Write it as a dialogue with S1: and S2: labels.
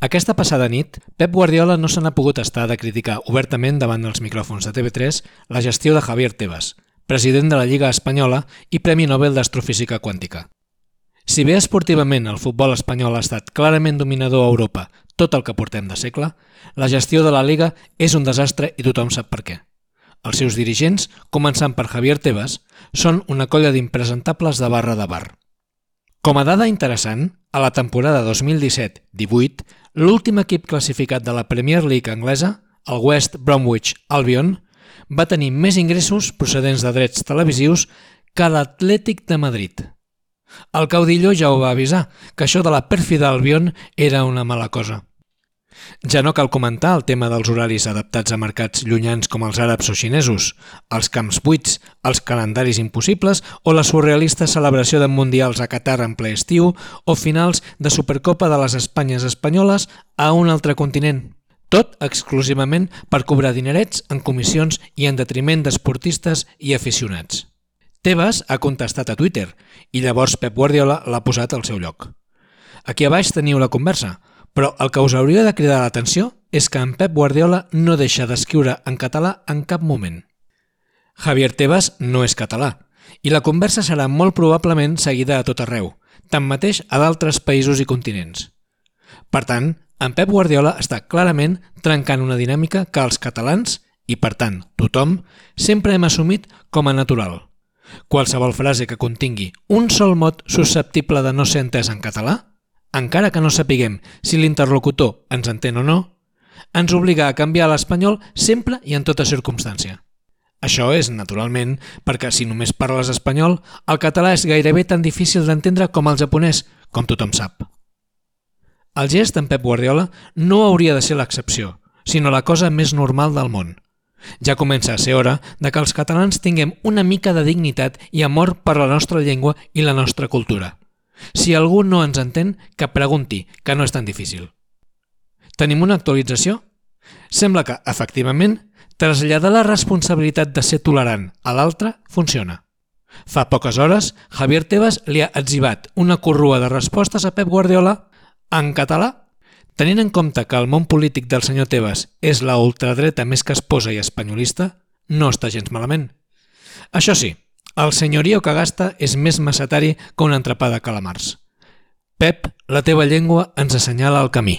S1: Aquesta passada nit, Pep Guardiola no se n'ha pogut estar de criticar obertament davant els micròfons de TV3 la gestió de Javier Tebas, president de la Lliga Espanyola i Premi Nobel d'Astrofísica Quàntica. Si bé esportivament el futbol espanyol ha estat clarament dominador a Europa tot el que portem de segle, la gestió de la Lliga és un desastre i tothom sap per què. Els seus dirigents, començant per Javier Tebas, són una colla d'impresentables de barra de bar. Com a dada interessant, a la temporada 2017-18, l'últim equip classificat de la Premier League anglesa, el West Bromwich Albion, va tenir més ingressos procedents de drets televisius que l'Atlètic de Madrid. El caudillo ja ho va avisar, que això de la pèrfida Albion era una mala cosa. Ja no cal comentar el tema dels horaris adaptats a mercats llunyans com els àrabs o xinesos, els camps buits, els calendaris impossibles o la surrealista celebració de mundials a Qatar en ple estiu o finals de Supercopa de les Espanyes espanyoles a un altre continent. Tot exclusivament per cobrar dinerets en comissions i en detriment d'esportistes i aficionats. Tebas ha contestat a Twitter i llavors Pep Guardiola l'ha posat al seu lloc. Aquí a baix teniu la conversa, però el que us hauria de cridar l'atenció és que en Pep Guardiola no deixa d'escriure en català en cap moment. Javier Tebas no és català i la conversa serà molt probablement seguida a tot arreu, tanmateix a d'altres països i continents. Per tant, en Pep Guardiola està clarament trencant una dinàmica que els catalans, i per tant tothom, sempre hem assumit com a natural. Qualsevol frase que contingui un sol mot susceptible de no ser entès en català, encara que no sapiguem si l'interlocutor ens entén o no, ens obliga a canviar a l'espanyol sempre i en tota circumstància. Això és, naturalment, perquè si només parles espanyol, el català és gairebé tan difícil d'entendre com el japonès, com tothom sap. El gest d'en Pep Guardiola no hauria de ser l'excepció, sinó la cosa més normal del món. Ja comença a ser hora de que els catalans tinguem una mica de dignitat i amor per la nostra llengua i la nostra cultura. Si algú no ens entén, que pregunti, que no és tan difícil. Tenim una actualització? Sembla que, efectivament, traslladar la responsabilitat de ser tolerant a l'altre funciona. Fa poques hores, Javier Tebas li ha etzibat una corrua de respostes a Pep Guardiola en català. Tenint en compte que el món polític del senyor Tebas és la ultradreta més casposa i espanyolista, no està gens malament. Això sí, el senyorio que gasta és més macetari que un entrepà de calamars. Pep, la teva llengua ens assenyala el camí.